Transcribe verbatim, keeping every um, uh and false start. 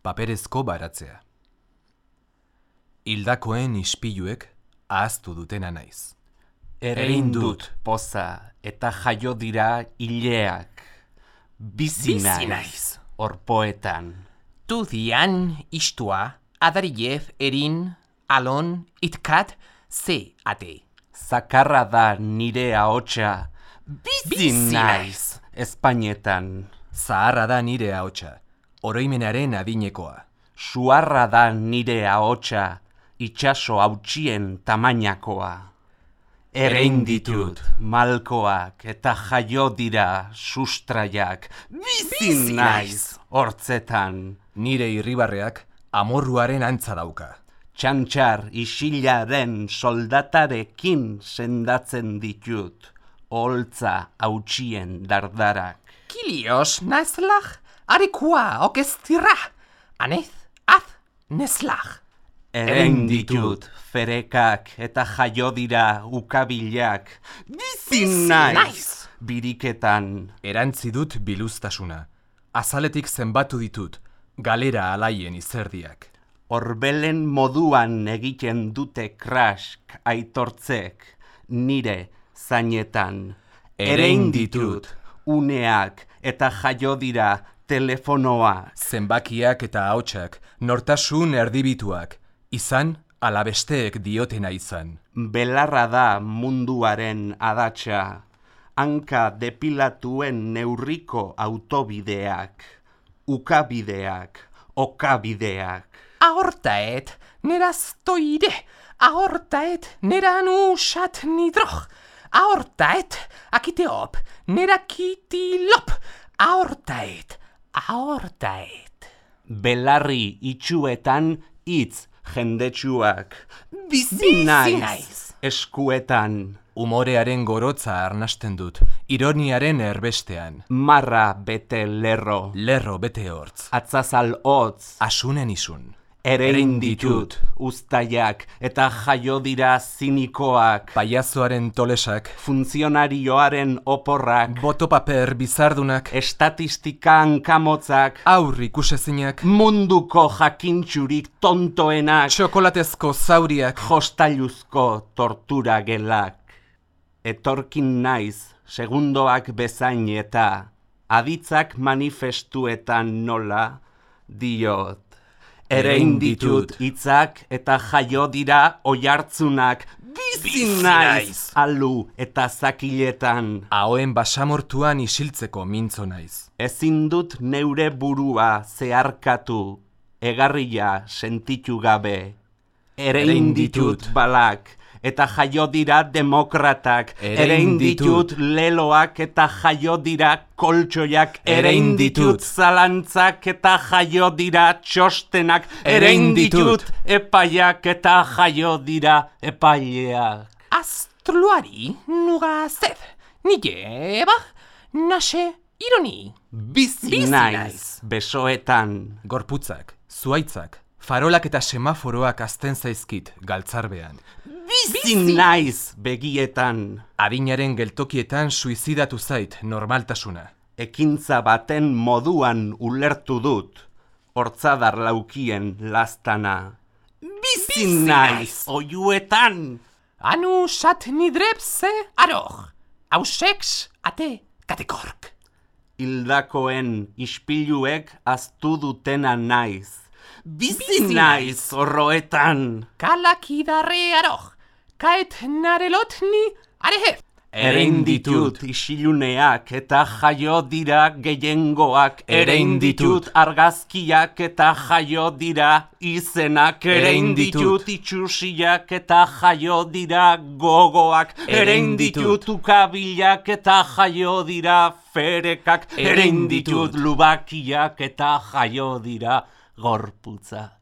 paperezko baratzea. Hildakoen ispiluek ahaztu dutena naiz. Erein dut poza eta jaio dira hileak. Bizi naiz orpoetan. Tu dian istua, adariev erin, alon, itkat, ze ate. Zakarra da nire ahotsa. Bizi naiz Espainetan. Zaharra da nire ahotsa, oroimenaren adinekoa. Suarra da nire ahotsa, itsaso hautsien tamainakoa. Erein ditut malkoak eta jaio dira sustraiak. Bizi naiz hortzetan. Nire irribarreak amorruaren antza dauka. Txantxar isilaren soldatarekin sendatzen ditut. Holtza hautsien dardarak. Kilios naslach, arekua okestira. Anez, az, neslach. Erein ditut ferekak eta jaio dira ukabilak. Bizi naiz biriketan. Erantzi dut biluztasuna. Azaletik zenbatu ditut, galera alaien izerdiak. Orbelen moduan egiten dute krask aitortzek, nire zainetan. Erein ditut uneak eta jaio dira telefonoa. Zenbakiak eta ahotsak, nortasun erdibituak, izan alabesteek diotena izan. Belarra da munduaren adatsa, hanka depilatuen neurriko autobideak, ukabideak, okabideak. Ahortaet, neraztoide, ahortaet, neran usat nidroch, ahortaet, akiteop, nerakitilop, ahortaet, ahortaet. Belarri itxuetan hitz jendetsuak. Bizi naiz eskuetan. Umorearen gorotza arnasten dut, ironiaren erbestean. Marra bete lerro, Lerro bete hortz, atzazal hotz. asunen isun. Erein ditut uztaiak eta jaio dira zinikoak. Paiazoaren tolesak, Funtzionarioaren oporrak. botopaper bizardunak, Estatistika hankamotzak. aur ikusezinak, Munduko jakintxurik tontoenak. txokolatezko zauriak, Jostailuzko tortura gelak. Etorkin naiz segundoak bezain eta aditzak manifestuetan nola diot. Erein ditut hitzak eta jaio dira oihartzunak. Bizi naiz alu eta zakiletan. ahoen basamortuan isiltzeko mintzo naiz. Ezin dut neure burua zeharkatu, egarria sentitu gabe. Erein ditut balak eta jaio dira demokratak. Erein ditut leloak eta jaio dira koltsoiak. Erein ditut zalantzak eta jaio dira txostenak. Erein ditut epaiak eta jaio dira epaileak. Astroluari nuga zed, nigeba, nase ironi. Bizi Bizi naiz naiz. besoetan. Gorputzak, zuaitzak, farolak eta semaforoak azten zaizkit galtzarbean. Bizi naiz begietan. Adinaren geltokietan suizidatu zait normaltasuna. Ekintza baten moduan ulertu dut, hortzadar laukien lastana. Bizi naiz oiuetan. Anu sat nidrepse aroch, auseks ate katekork. Hildakoen ispiluek aztu dutena naiz. Bizi naiz horroetan. Kalakidarre aroch, kaet narelotni arehef. Erein ditut isiluneak eta jaio dira gehiengoak. Erein ditut argazkiak eta jaio dira izenak. Erein ditut itxusiak eta jaio dira gogoak. Erein ditut ukabilak eta jaio dira ferekak. Erein ditut lubakiak eta jaio dira gorputza.